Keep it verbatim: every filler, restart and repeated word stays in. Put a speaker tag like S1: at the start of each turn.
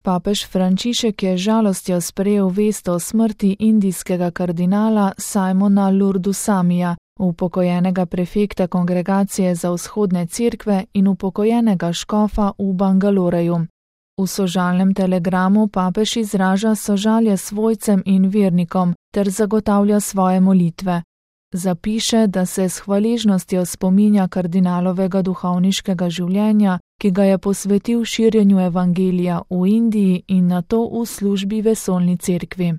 S1: Papež Frančišek je žalostjo sprejel vest o smrti indijskega kardinala Simona Lurdusamija, upokojenega prefekta Kongregacije za vzhodne cerkve in upokojenega škofa v Bangaloreju. V sožalnem telegramu papež izraža sožalje svojcem in vernikom ter zagotavlja svoje molitve. Zapiše, da se s hvaležnostjo spominja kardinalovega duhovniškega življenja, ki ga je posvetil širjenju evangelija v Indiji in nato v službi vesoljni cerkvi.